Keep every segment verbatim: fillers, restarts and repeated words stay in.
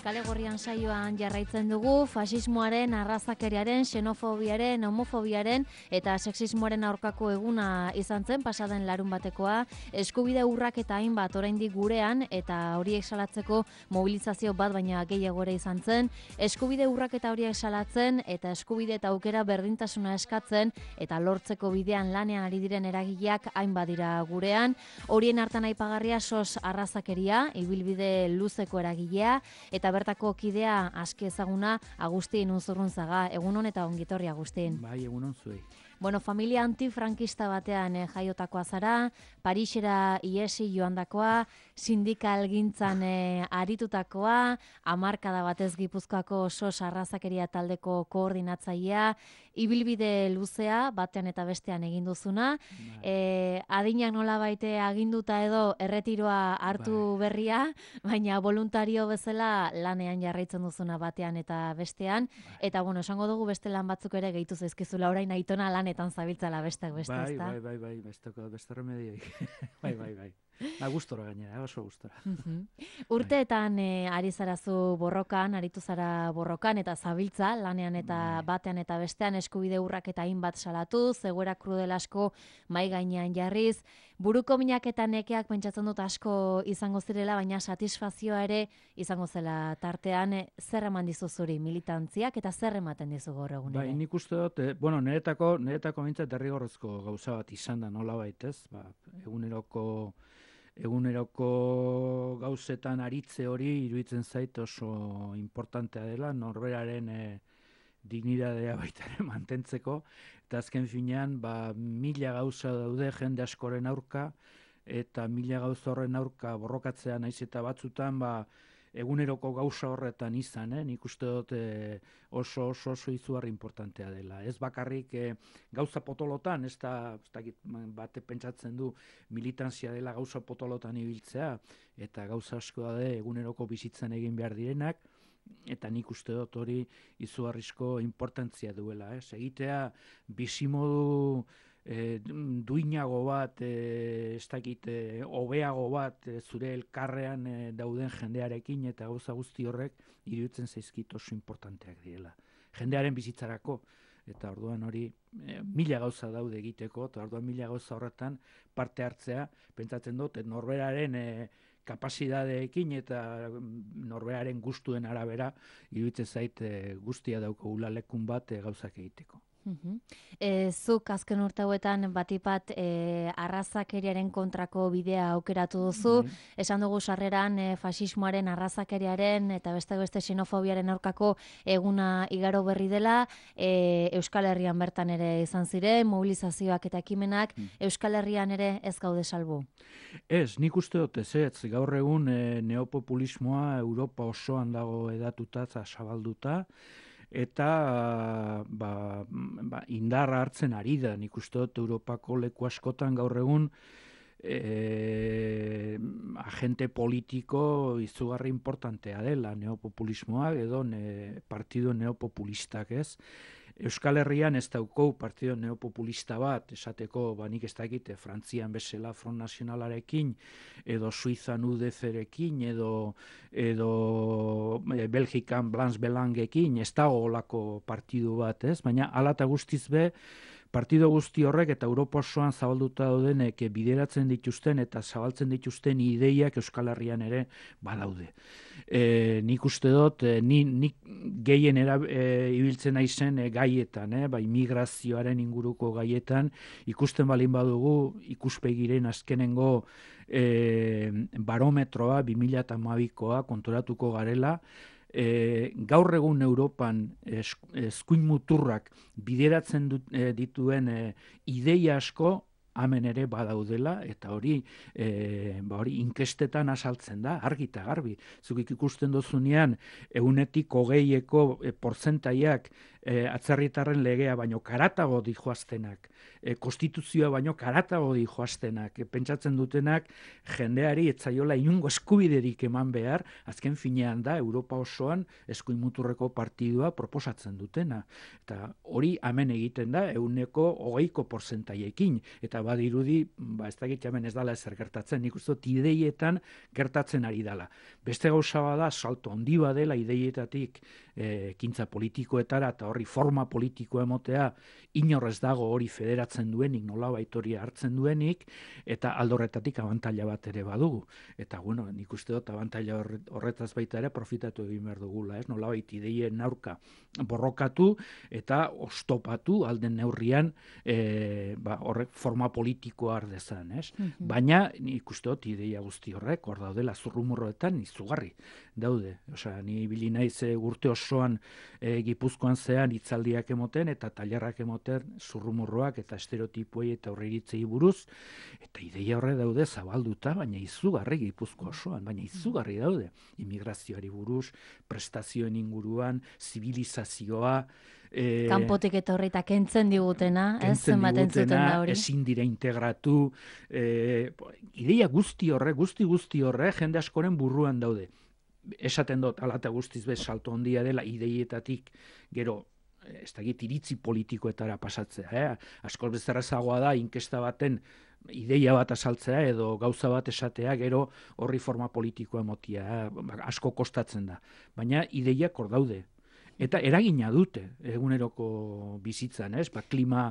Kale Gorrian saioan jarraitzen dugu fasismoaren, arrazakeriaren, xenofobiaren, homofobiaren eta sexismoaren aurkako eguna izan zen pasaden larun batekoa, eskubide urrak eta hainbat oraindik gurean eta horiek salatzeko mobilizazio bat baina gehiago ere izan zen, eskubide urrak eta horiek salatzen eta eskubide eta aukera berdintasuna eskatzen eta lortzeko bidean lanean ari diren eragileak hainbat dira gurean, horien hartan aipagarria sos arrazakeria, ibilbide luzeko eragilea eta bertako kidea aski ezaguna Agustin Unzurrunzaga. Egunon eta ongitorri, Agustin. Bai, egunon zuei. Bueno, familia antifrankista batean eh, jaiotakoa zara, Parisera iesi joandakoa, sindikalgintzan eh, aritutakoa, hamarkada batez Gipuzkoako sos arrazakeria taldeko koordinatzailea, ibilbide luzea batean eta bestean egin duzuna, eh, adinak nola baite aginduta edo erretiroa hartu Bai. berria, baina voluntario bezala lanean jarraitzen duzuna batean eta bestean, Bai. eta bueno, esango dugu beste lan batzuk ere gehitu zaizkizula orain aitona lanetan zabiltzala besteak beste, Bai, ezta? bai, bai, bai, besteko, beste remedioik. bai, bai, bai. Na, gustora gainera, oso gustora. Urteetan eh, ari zarazu borrokan, aritu zara borrokan eta zabiltza, lanean eta Bai. batean eta bestean eskubide urrak eta hainbat salatu, zegoera krudel asko mai gainean jarriz, buruko minak eta nekeak pentsatzen dut asko izango zirela, baina satisfazioa ere izango zela tartean, eh, zer eman dizu zuri militantziak eta zer ematen dizu gaur egun Bai, ere? nik uste dut, eh, bueno, niretako, niretako mintzat derrigorrezko gauza bat izan da nola baitez, ba, eguneroko eguneroko gauzetan aritze hori iruditzen zait oso importantea dela, norberaren e, dignidadea baita ere mantentzeko, eta azken finean, ba, mila gauza daude jende askoren aurka, eta mila gauza horren aurka borrokatzea naiz eta batzutan, ba, eguneroko gauza horretan izan, eh? Nik uste dut eh, oso oso oso izugarri importantea dela. Ez bakarrik eh, gauza potolotan, ez da, ez dakit, bate pentsatzen du militantzia dela gauza potolotan ibiltzea, eta gauza asko da eguneroko bizitzan egin behar direnak, eta nik uste dut hori izugarrizko importantzia duela. Ez egitea bizimodu E, duinago bat, e, ez dakit, e, hobeago bat e, zure elkarrean e, dauden jendearekin eta gauza guzti horrek iruditzen zaizkit oso importanteak direla. Jendearen bizitzarako, eta orduan hori e, mila gauza daude egiteko, eta orduan mila gauza horretan parte hartzea, pentsatzen dut, norberaren e, kapasidadeekin eta norberaren gustuen arabera iruditzen zait e, guztia daukagula lekun bat e, gauzak egiteko. Uh-huh. E, zuk azken urte hauetan batipat e, arrazakeriaren kontrako bidea aukeratu duzu, Bai. esan dugu sarreran e, fasismoaren, arrazakeriaren eta beste beste xenofobiaren aurkako eguna igaro berri dela, e, Euskal Herrian bertan ere izan ziren, mobilizazioak eta ekimenak, Hmm. Euskal Herrian ere ez gaude salbu. Ez, nik uste dut ez, ez, gaur egun e, neopopulismoa Europa osoan dago edatuta eta zabalduta, eta ba, ba, indarra hartzen ari da, nik uste dut Europako leku askotan gaur egun e, agente politiko izugarri importantea dela neopopulismoak edo ne, partido neopopulistak, ez? Euskal Herrian ez daukou partido neopopulista bat, esateko, ba, nik ez dakit, Frantzian bezala Front Nacionalarekin, edo Suizan U D C-rekin, edo, edo e, Belgikan Blanche Belangekin, ez dago olako partidu bat, ez? Baina hala eta guztiz be, partido guzti horrek eta Europa osoan zabalduta daudenek bideratzen dituzten eta zabaltzen dituzten ideiak Euskal Herrian ere badaude. E, nik uste dut, e, ni, nik gehien era, e, ibiltzen naizen e, gaietan, e, bai migrazioaren inguruko gaietan, ikusten balin badugu ikuspegiren azkenengo e, barometroa bi mila hamabikoa konturatuko garela, E, gaur egun Europan eskuin muturrak bideratzen dut, e, dituen e, ideia asko hemen ere badaudela, eta hori e, ba hori inkestetan azaltzen da, argi eta garbi. Zuk ikusten dozunean, egunetik hogeieko e, portzentaiak e, atzerritarren legea baino karatago di joaztenak, e, konstituzioa baino karatago di joaztenak, e, pentsatzen dutenak jendeari etzaiola inungo eskubiderik eman behar, azken finean da Europa osoan eskuin muturreko partidua proposatzen dutena. Eta hori hemen egiten da ehuneko hogeiko portzentaiekin, eta badirudi, ba, ez dakit hemen ez dala ezer gertatzen, nik uste dut ideietan gertatzen ari dala. Beste gauza bada, salto handi badela ideietatik e, ekintza politikoetara eta horri forma politikoa emotea inorrez dago hori federatzen duenik, nolabait hori hartzen duenik, eta aldorretatik abantaila bat ere badugu. Eta bueno, nik uste dut abantaila horretaz baita ere profitatu egin behar dugula, ez? Nolabait ideien aurka borrokatu eta ostopatu alden neurrian e, ba, horrek forma politikoa ardezan, ez? Mm-hmm. Baina nik uste dut ideia guzti horrek, hor daudela zurrumurroetan izugarri daude. Osea, ni ibili naiz urte osoan e, Gipuzkoan zean hitzaldiak emoten eta tailerrak emoten zurrumurroak eta estereotipoei eta aurreiritzei buruz, eta ideia horre daude zabalduta, baina izugarri Gipuzko osoan, baina izugarri daude. Immigrazioari buruz, prestazioen inguruan, zibilizazioa, E, kanpotik eta horreita kentzen digutena, ez zenbaten zuten da hori. Ezin dira integratu, e, ideia guzti horre, guzti guzti horre, jende askoren burruan daude. Esaten dut, alata guztiz bez salto handia dela ideietatik, gero, ez dakit iritzi politikoetara pasatzea. Eh? Askoz bezerrezagoa da, inkesta baten ideia bat azaltzea edo gauza bat esatea, gero horri forma politikoa emotia, eh? Asko kostatzen da. Baina ideiak hor daude. Eta eragina dute eguneroko bizitzan, ez? Ba, klima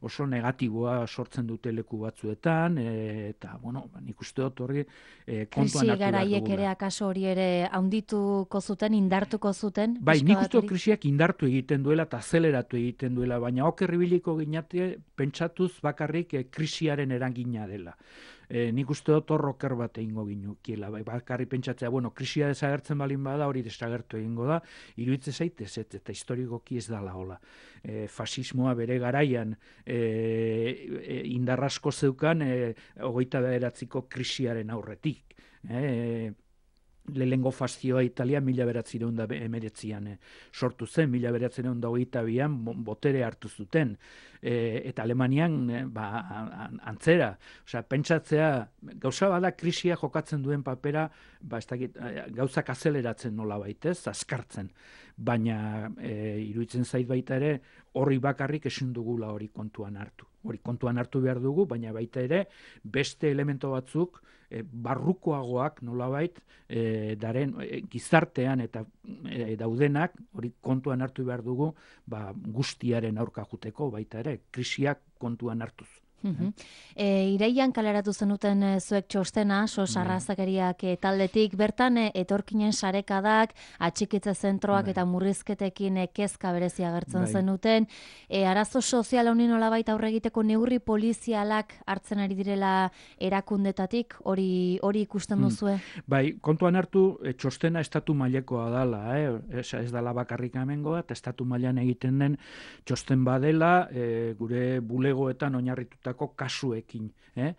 oso negatiboa sortzen dute leku batzuetan, e, eta, bueno, nik uste dut horri e, kontuan hartu behar dugula. Krisi garaiek ere akaso hori ere haundituko zuten, indartuko zuten? Bai, nik uste dut krisiak indartu egiten duela eta azeleratu egiten duela, baina okerribiliko ginate pentsatuz bakarrik e, krisiaren eragina dela. E, nik uste dut hor oker bat egingo ginukiela, bai, bakarri pentsatzea, bueno, krisia desagertzen balin bada, hori desagertu egingo da, iruditzen zaitez, eta historikoki ez dala hola. E, fasismoa bere garaian e, e, indarrasko zeukan e, hogeita bederatziko krisiaren aurretik. E, lehengo fazioa Italia mila beratzireun da emeretzian e, sortu zen, mila beratzireun da hogeita bian botere hartu zuten. E, eta Alemanian e, ba, antzera. Osea, pentsatzea, gauza bada krisia jokatzen duen papera, ba, ez dakit, gauzak azeleratzen nola baitez, azkartzen. Baina e, iruditzen zait baita ere, horri bakarrik ezin dugula hori kontuan hartu. Hori kontuan hartu behar dugu, baina baita ere, beste elemento batzuk, e, barrukoagoak nolabait, e, daren e, gizartean eta e, daudenak, hori kontuan hartu behar dugu, ba, guztiaren aurka juteko baita ere, krisiak kontuan hartuz. Uh-huh. E, iraian kaleratu zenuten e, zuek txostena, sos arrazakeriak e, taldetik, bertan e, etorkinen sarekadak, atxikitze zentroak bai. Eta murrizketekin e, kezka berezia agertzen bai. Zenuten, e, arazo sozial honi nolabait aurre egiteko neurri polizialak hartzen ari direla erakundetatik, hori hori ikusten duzue? Hmm. Bai, kontuan hartu, e, txostena estatu mailekoa dala, eh? ez, ez dala bakarrik amengoa, eta estatu mailan egiten den txosten badela, e, gure bulegoetan oinarrituta kasuekin. Eh?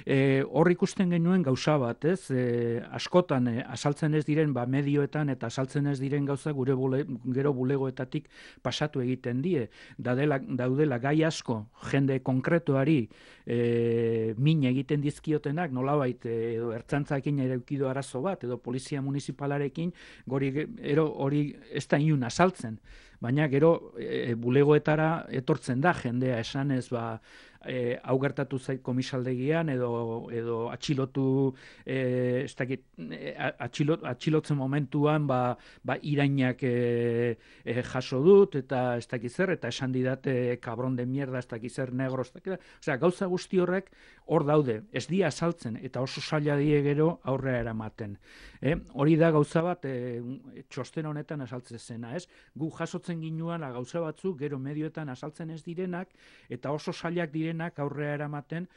E, hor ikusten genuen gauza bat, ez? E, askotan e, asaltzen ez diren ba, medioetan eta asaltzen ez diren gauza gure bule, gero bulegoetatik pasatu egiten die. Dadela, daudela gai asko jende konkretuari e, min egiten dizkiotenak, nolabait edo ertzantzakin ere eukido arazo bat, edo polizia municipalarekin gori, ero, hori ez da inun asaltzen. Baina gero e, bulegoetara etortzen da jendea esanez ba E, hau gertatu zait komisaldegian edo edo atxilotu e, ez dakit e, atxilot, atxilotzen momentuan ba, ba irainak e, e, jaso dut eta ez dakit zer eta esan didate kabron de mierda ez dakit zer negro ez dakit, osea gauza guzti horrek hor daude, ez dia saltzen eta oso zaila die gero aurrera eramaten. E, hori da gauza bat e, txosten honetan asaltzen zena, ez? Gu jasotzen ginuan gauza batzuk gero medioetan asaltzen ez direnak eta oso zailak direnak aurrera eramaten,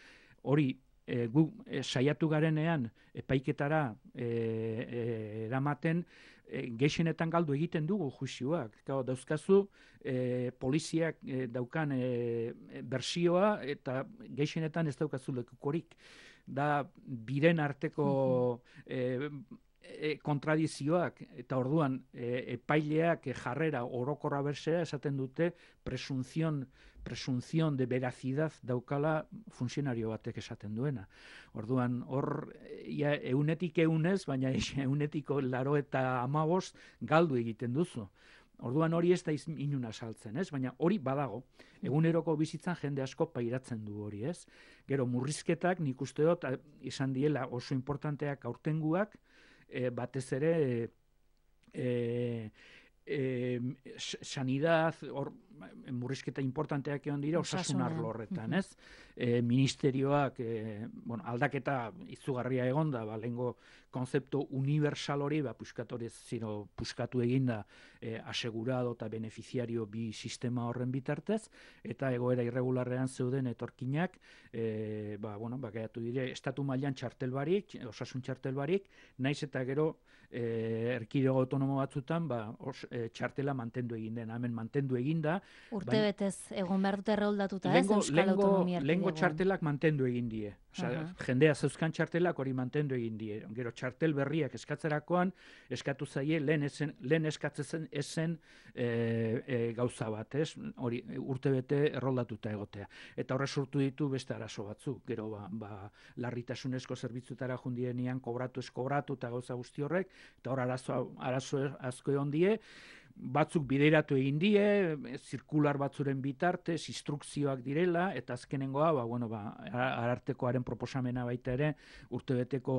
hori e, gu e, saiatu garenean epaiketara e, e, eramaten e, gehienetan galdu egiten dugu juizioak. Gau, dauzkazu e, poliziak e, daukan e, bersioa eta gehienetan ez daukazu lekukorik. Da biren arteko e, e, kontradizioak, eta orduan e, epaileak e, jarrera orokorra bersea esaten dute presunzion, presunzion de veracidad daukala funtzionario batek esaten duena. Orduan, hor, ja, eunetik eunez, baina eunetiko laro eta amabost galdu egiten duzu. Orduan hori ez da inuna saltzen, ez? Baina hori badago. Eguneroko bizitzan jende asko pairatzen du hori, ez? Gero murrizketak nik uste dut izan diela oso importanteak aurtenguak, e, batez ere e, e, sanidad, hor, murrizketa importanteak egon dira osasun arlo horretan, ez? E, ministerioak, e, bueno, aldaketa izugarria egonda, ba, lehengo konzeptu universal hori, ba, puskatorez ziro puskatu eginda e, asegurado eta beneficiario bi sistema horren bitartez, eta egoera irregularrean zeuden etorkinak, e, ba, bueno, ba, gaiatu dire, estatu mailan txartel barik, osasun txartel barik, naiz eta gero e, erkidego autonomo batzutan, ba, os, e, txartela mantendu egin den, hemen mantendu eginda. Urte baina, betez, egon behar dute erroldatuta, ez, Euskal Autonomia Erkidegoan. Lehengo txartelak mantendu egin die. Osea, jendea zeuzkan txartelak hori mantendu egin die. Gero txartel berriak eskatzerakoan, eskatu zaie lehen, esen, lehen eskatzen esen e, e, gauza bat, ez? Hori urte bete erroldatuta egotea. Eta horre sortu ditu beste arazo batzuk. Gero, ba, ba larritasunezko zerbitzutara jundienean kobratu ez kobratu eta gauza guzti horrek, eta hor arazo, arazo asko egon die, batzuk bideratu egin die, zirkular batzuren bitartez, instrukzioak direla, eta azkenengoa, ba, bueno, ba, arartekoaren proposamena baita ere, urtebeteko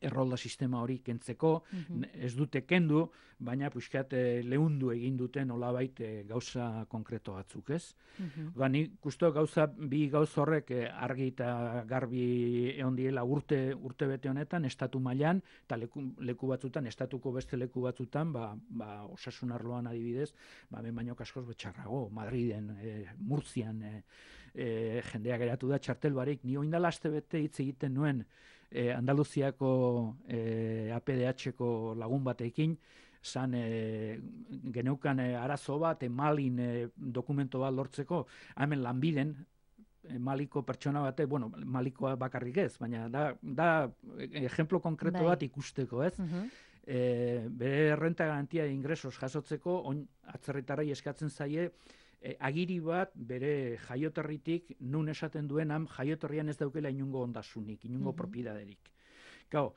errolda sistema hori kentzeko, mm-hmm. ez dute kendu, baina puxkat lehundu egin duten nolabait gauza konkreto batzuk, ez? Mm-hmm. Ba, ni gustu gauza, bi gauza horrek argi eta garbi egon diela urte, urte bete honetan, estatu mailan, eta leku, leku batzutan, estatuko beste leku batzutan, ba, ba, osasun arloan adibidez, ba, ben baino kaskoz betxarrago, Madriden, e, Murtzian, e, e, jendea geratu da txartel barik, ni oindala aste bete hitz egiten nuen, E, Andaluziako e, A P D H-ko lagun batekin, zan e, geneukan e, arazo bat, e, Malin e, dokumento bat lortzeko, hemen Lanbiden, e, Maliko pertsona bate, bueno, Malikoa bakarrik ez, baina da, da ejemplo konkreto bai. Bat ikusteko, ez? Uh-huh. e, bere renta garantia de ingresos jasotzeko, on, atzerritarrei eskatzen zaie, E, agiri bat bere jaioterritik nun esaten duen ham jaioterrian ez daukela inungo ondasunik, inungo mm-hmm. propietaderik. Gau,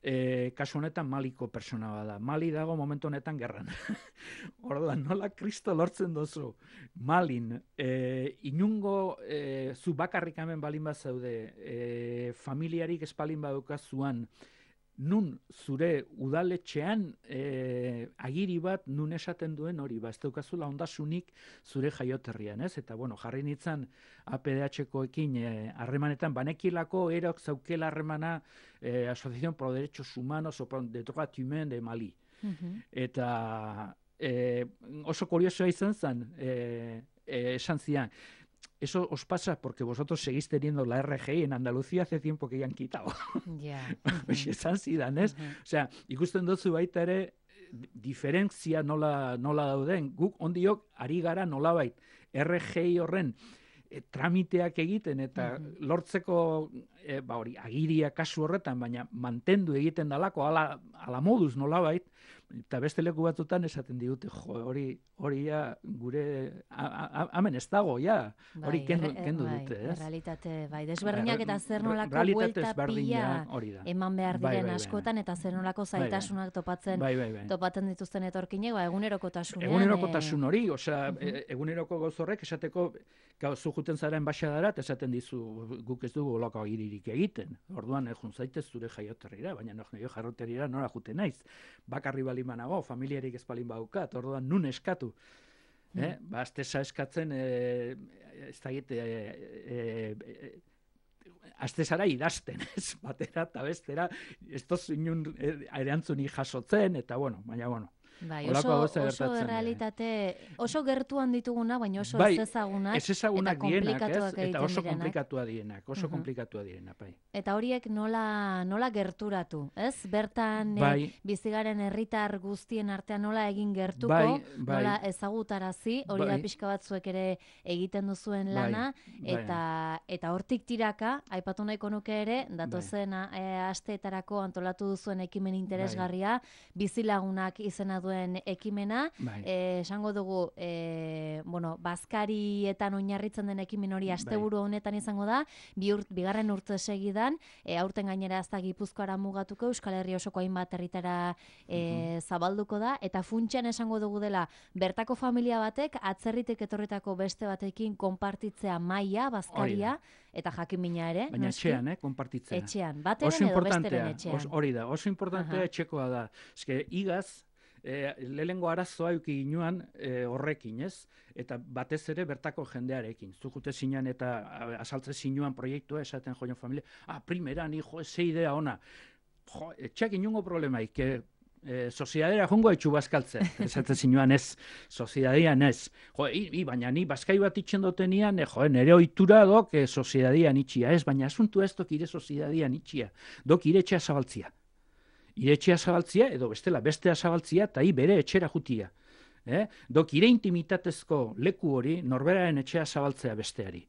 e, kasu honetan Maliko persona bada. Mali dago momentu honetan gerran. Orduan, nola Kristo lortzen dozu? Malin, e, inungo e, zu bakarrik hemen balin bat zaude, e, familiarik espalin badukazuan, nun zure udaletxean e, agiri bat nun esaten duen hori, ba, ez daukazula ondasunik zure jaioterrian, ez? Eta, bueno, jarri nintzen A P D H-koekin harremanetan, e, banekilako erok zaukela harremana e, Asociación por Derechos Humanos o de Droit Humain de Mali. Uh-huh. Eta e, oso kuriosoa izan zen, e, e, esan zian, eso os pasa porque vosotros seguís teniendo la R G I en Andalucía hace tiempo que ya han quitado. Ja. Esan zidan, ez? Uh-huh. Osea, ikusten duzu baita ere diferentzia nola, nola dauden. Guk ondiok ari gara nolabait R G I horren e, tramiteak egiten eta uh-huh. lortzeko e, ba hori agiria kasu horretan, baina mantendu egiten dalako ala, ala moduz nolabait, eta beste leku batzutan esaten digute, jo, hori hori ja gure hemen ez dago, ja, hori bai, kendu, kendu bai, dute, ez? Realitate, bai, desberdinak eta zer nolako buelta pila eman behar diren bai, bai, askotan, eta zer nolako zaitasunak topatzen, bai, bai, bai. topatzen dituzten etorkinek, ba, egunerokotasunean. Egunerokotasun hori, osea, uh-huh. eguneroko gauz horrek esateko, gau, zu juten zaren baxadarat, esaten dizu, guk ez dugu olako agiririk egiten. Orduan, jun zaitez zure jaioterrira, baina no, jaioterrira nora juten naiz. Bakarri balin banago, familiarik ez balin baukat, orduan nun eskatu. Mm. Eh? Ba, azteza eskatzen, eh, ez da egite, eh, eh, aztezara idazten, ez, batera eta bestera, ez toz inun erantzunik jasotzen, eta bueno, baina bueno. Bai, Holako oso, gauza oso gertatzen da, eh. errealitate, oso gertuan dituguna, baina oso Bai, ez ezagunak, ez ezagunak eta dienak, ez? komplikatuak Eta egiten oso direnak. komplikatua dienak, oso Mhm. komplikatua direnak, bai. Eta horiek nola, nola gerturatu, ez? Bertan Bai. eh, bizigaren herritar guztien artean nola egin gertuko, Bai, bai. nola ezagutarazi, hori da Bai. pixka batzuek ere egiten duzuen Bai, lana, bai. eta eta hortik tiraka, aipatu nahiko nuke ere, datozen eh, asteetarako antolatu duzuen ekimen interesgarria, bizilagunak izena duen ekimena, Bai. eh, esango dugu, eh, bueno, bazkarietan oinarritzen den ekimen hori asteburu honetan izango da, bi urt, bigarren urte segidan, e, aurten gainera ez da Gipuzkoara mugatuko, Euskal Herri osoko hainbat herritara e, zabalduko da, eta funtsean esango dugu dela, bertako familia batek, atzerritik etorritako beste batekin konpartitzea maila, bazkaria, eta jakimina ere. Baina noski, etxean, eh, konpartitzea. Etxean, bateren Oso edo importantea, besteren etxean. os- hori da, oso importantea Aha. etxekoa da. Eske, igaz, e, lehengo arazoa euki ginuan e, horrekin, ez? Eta batez ere bertako jendearekin. Zukute zinean eta a, asaltze zinuan proiektua esaten joan familia, ah, primeran, hijo, ze idea ona. Jo, etxeak inungo problemaik, que E, soziadera jongo etxu bazkaltzen, esatzen zinuan ez, soziadadian ez. Jo, i, i, baina ni bazkai bat itxen dotenian, e, jo, nere ohitura dok e, soziadadian itxia, ez, baina asuntu ez dok ire soziadadian itxia, dok ire etxea zabaltzia. Ire etxea zabaltzia, edo bestela, bestea zabaltzia, eta hi bere etxera jutia. Eh? Dok ire intimitatezko leku hori, norberaren etxea zabaltzea besteari.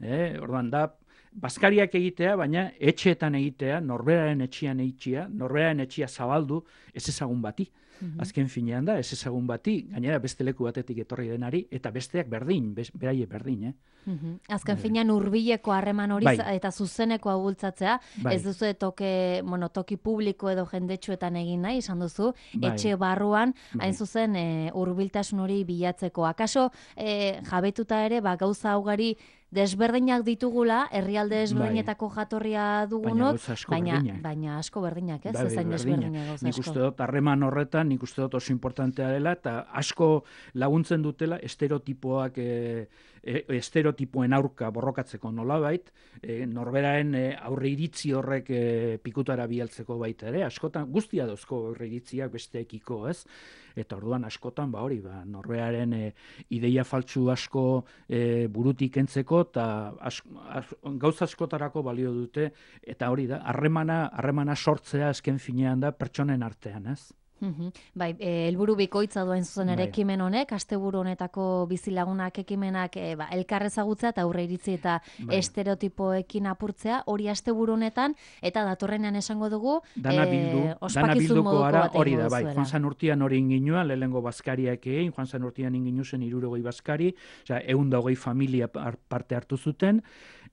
Eh? Orduan da, bazkariak egitea, baina etxeetan egitea, norberaren etxean eitxia, norberaren etxea zabaldu, ez ezagun bati. Mhm. Azken finean da, ez ezagun bati, gainera beste leku batetik etorri denari, eta besteak berdin, bez, beraie berdin, eh? Mhm. Azken finean hurbileko harreman hori Bai. za- eta zuzenekoa bultzatzea, Bai. ez duzu toke, bueno, toki publiko edo jendetsuetan egin nahi, izan duzu, Bai. etxe barruan, Bai. hain zuzen e, hurbiltasun hori bilatzeko. Akaso e, jabetuta ere, ba, gauza ugari desberdinak ditugula, herrialde desberdinetako jatorria Baina dugunok, gauza asko baina, berdinak. baina asko berdinak, ez? Bai, bai, Ezain berdinak. desberdinak gauza Nik asko. uste dut harreman horretan, nik uste dut oso importantea dela, eta asko laguntzen dutela estereotipoak, e, e, estereotipoen aurka borrokatzeko nolabait, e, norberaren e, aurre iritzi horrek e, pikutara bialtzeko baita ere, askotan guztia dauzko aurre iritziak besteekiko, ez? Eta orduan askotan, ba hori, ba, norberaren e, ideia faltsu asko e, burutik entzeko, eta as, as, gauza askotarako balio dute, eta hori da, harremana, harremana sortzea azken finean da pertsonen artean, ez? Mhm. Bai, eh, helburu bikoitza duen zuzen ere Bai. ekimen honek, asteburu honetako bizilagunak ekimenak eh, ba, elkar ezagutza eta aurre iritzi eta Bai. estereotipoekin apurtzea, hori asteburu honetan, eta datorrenean esango dugu, Dana eh, bildu, dana ospakizun bilduko moduko gara bat hori egingo da, bai. duzuela. Joan San urtean hori inginuan, lehenengo bazkariak egin, Joan San urtean inginu zen hirurogei bazkari, osea, ehun eta hogei familia par- parte hartu zuten,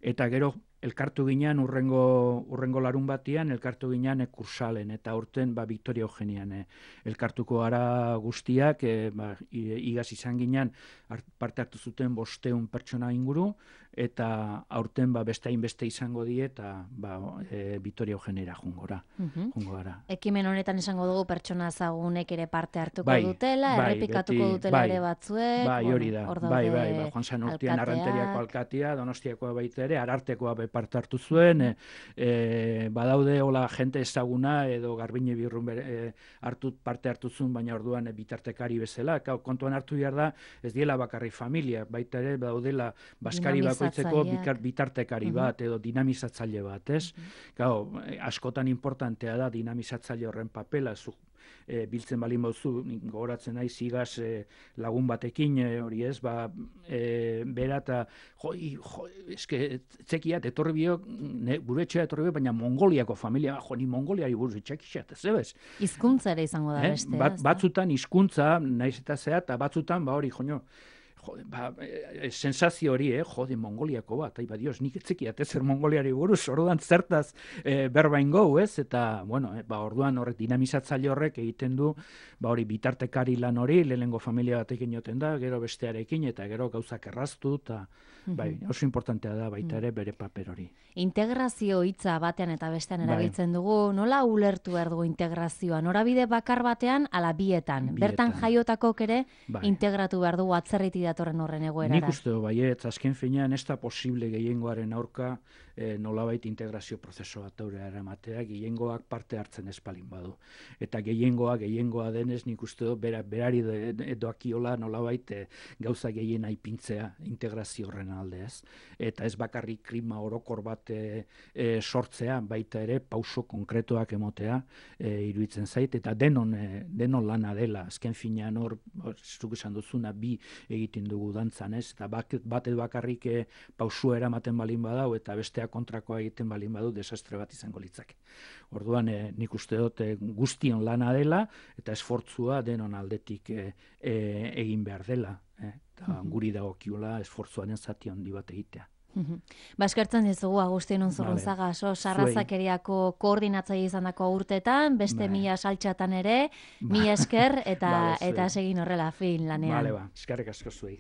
eta gero elkartu ginean urrengo, urrengo larun batian, elkartu ginean e, kursalen, eta urten ba, Victoria Eugenian e, elkartuko gara guztiak, e, ba, i- igaz izan ginean hart- parte hartu zuten bosteun pertsona inguru, eta aurten ba, beste hainbeste izango die, eta ba, e, Victoria Eugeniara jungora, Mhm. jungo gara. Ekimen honetan esango dugu pertsona ezagunek ere parte hartuko Bai, dutela, bai, errepikatuko beti, dutela bai, ere batzuek. Bai, hori da. bueno, hor Bai, daude bai, bai. Joan San urtean alkateak. Arranteriako alkatea, Donostiakoa baita ere, Arartekoa be parte hartu zuen, e, e, badaude hola jente ezaguna edo Garbine Birrun bere, e, hartu, parte hartu zuen, baina orduan e, bitartekari bezala. Kau, kontuan hartu behar da, ez diela bakarri familia, baita ere daudela baskari bakoitzeko Dinamizatzaileak. bikar, bitartekari Mhm. bat edo dinamizatzaile bat, ez? Gau, askotan importantea da dinamizatzaile horren papela, zu, e, biltzen balin bauzu, nik gogoratzen naiz igaz e, lagun batekin, e, hori ez, ba, e, bera eta, jo, i, jo, eske, txekiat, etorri biok, ne, gure etxea etorri biok, baina Mongoliako familia, jo, ni Mongoliari buruz txekixat, ez ebez? Hizkuntza ere izango da Eh? bestea. Bat, ez da? batzutan hizkuntza naiz eta zea, eta batzutan, ba hori, joño, jo, ba, e, sensazio hori, eh, jode, Mongoliako bat, ai, ba, dios, nik etzekiat ezer Mongoliari buruz, orduan zertaz e, berba ingo, ez, eta, bueno, e, ba, orduan horrek dinamizatzaile horrek egiten du, ba, hori bitartekari lan hori, lehenengo familia batekin joten da, gero bestearekin, eta gero gauzak erraztu, eta, bai, oso importantea da baita ere bere paper hori. Integrazio hitza batean eta bestean Bai. erabiltzen dugu, nola ulertu behar dugu integrazioa? Norabide bakar batean, ala bietan. Bietan. Bertan jaiotakok ere Bai. integratu behar dugu atzerriti datorren horren egoerara? Nik uste du baiet, azken finean ez da posible gehiengoaren aurka e, nolabait integrazio prozesu bat aurrera eramatea, gehiengoak parte hartzen espalin badu. Eta gehiengoa, gehiengoa denez, nik uste du bera, berari doakiola nolabait e, gauza gehien aipintzea integrazio horren alde ez. Eta ez bakarrik klima orokor bat e, e, sortzea, baita ere pauso konkretuak emotea e, iruditzen zait, eta denon, e, denon lana dela, azken finean hor, zuk esan duzuna, bi egiten dugu dantzan ez, eta bat edo bakarrik e, pausua eramaten balin badau, eta bestea kontrakoa egiten balin badu, desastre bat izango litzake. Orduan, e, nik uste dut e, guztion lana dela, eta esfortzua denon aldetik e, e, egin behar dela. E, eta guri dagokiola esfortzuaren zati handi bat egitea. Ba, eskertzen dizugu Agustin Unzurrunzaga, so, sarrazakeriako koordinatzaile izandako urtetan, beste mila saltxatan ere, mila esker, eta, eta segin horrela fin lanean. Bale, ba, eskerrik asko zuei.